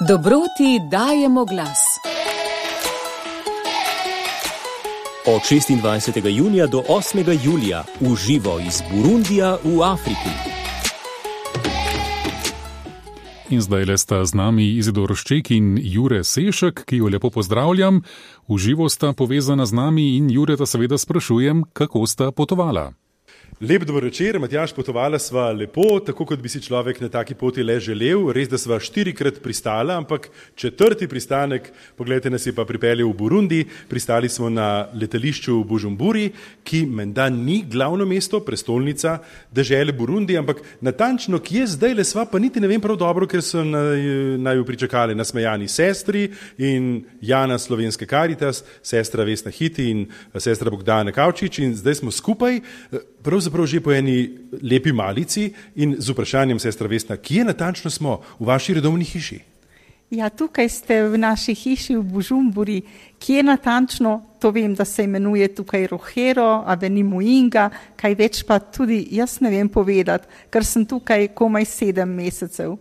Dobroti dajemo glas. Od 26. junija do 8. julija v živo iz Burundija v Afriki. In zdaj le sta z nami Izidor Šček in Jure Sešek, ki jo lepo pozdravljam. V živo sta povezana z nami in Jureta seveda sprašujem, kako sta potovala. Lep dober večer, Matjaž, potovala sva lepo, tako kot bi si človek na taki poti le želel. Res, da sva 4-krat pristala, ampak 4. pristanek, pogledajte, nas je pa pripeljal v Burundi. Pristali smo na letališču v Bujumburi, ki menda ni glavno mesto, prestolnica dežele Burundi, ampak natančno, kje zdaj le sva, pa niti ne vem prav dobro, ker so naju pričakali nasmejani sestri in Jana Slovenske Karitas, sestra Vesna Hiti in sestra Bogdana Kavčič, in zdaj smo skupaj, pravzaprav že po eni lepi malici, in z vprašanjem, sestra Vesna, kje natančno smo v vaši redovni hiši? Ja, tukaj ste v naši hiši v Bujumburi. Kje natančno, to vem, da se imenuje tukaj Rohero, Avenue Muinga, kaj več pa tudi jaz ne vem povedati, ker sem tukaj komaj 7 mesecev.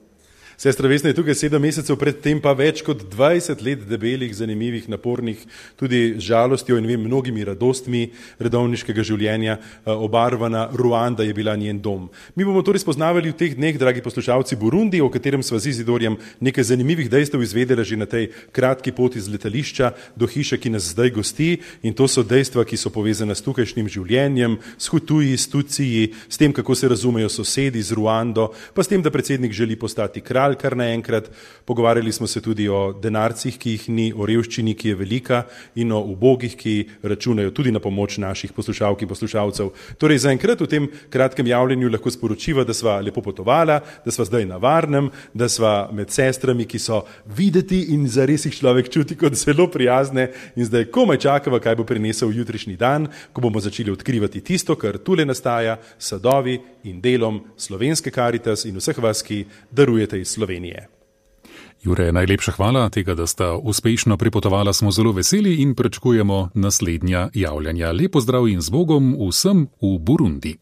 Sestra Vesna je tukaj 7 mesecev, predtem pa več kot 20 let debelih, zanimivih, napornih, tudi z žalostjo in mnogimi radostmi redovniškega življenja obarvana. Ruanda je bila njen dom. Mi bomo torej spoznavali v teh dneh, dragi poslušalci, Burundi, o katerem sva z Izidorjem nekaj zanimivih dejstev izvedela že na tej kratki poti z letališča do hiše, ki nas zdaj gosti, in to so dejstva, ki so povezana s tukajšnjim življenjem, s Hutuji, s Tuciji, s tem, kako se razumejo sosedi z Ruando, pa s tem, da predsednik želi postati kralj kar naenkrat. Pogovarjali smo se tudi o denarcih, ki jih ni, o revščini, ki je velika, in o ubogih, ki računajo tudi na pomoč naših poslušalk in poslušalcev. Torej, zaenkrat v tem kratkem javljenju lahko sporočiva, da sva lepo potovala, da sva zdaj na varnem, da sva med sestrami, ki so videti in zares jih človek čuti kot zelo prijazne, in zdaj komaj čakava, kaj bo prinesel jutrišnji dan, ko bomo začeli odkrivati tisto, kar tule nastaja, sadovi in delom Slovenske Karitas in vseh vas, ki darujete iz Slovenije. Jure, najlepša hvala tega, da sta uspešno pripotovala, smo zelo veseli in pričakujemo naslednja javljanja. Lep pozdrav in z Bogom vsem v Burundi.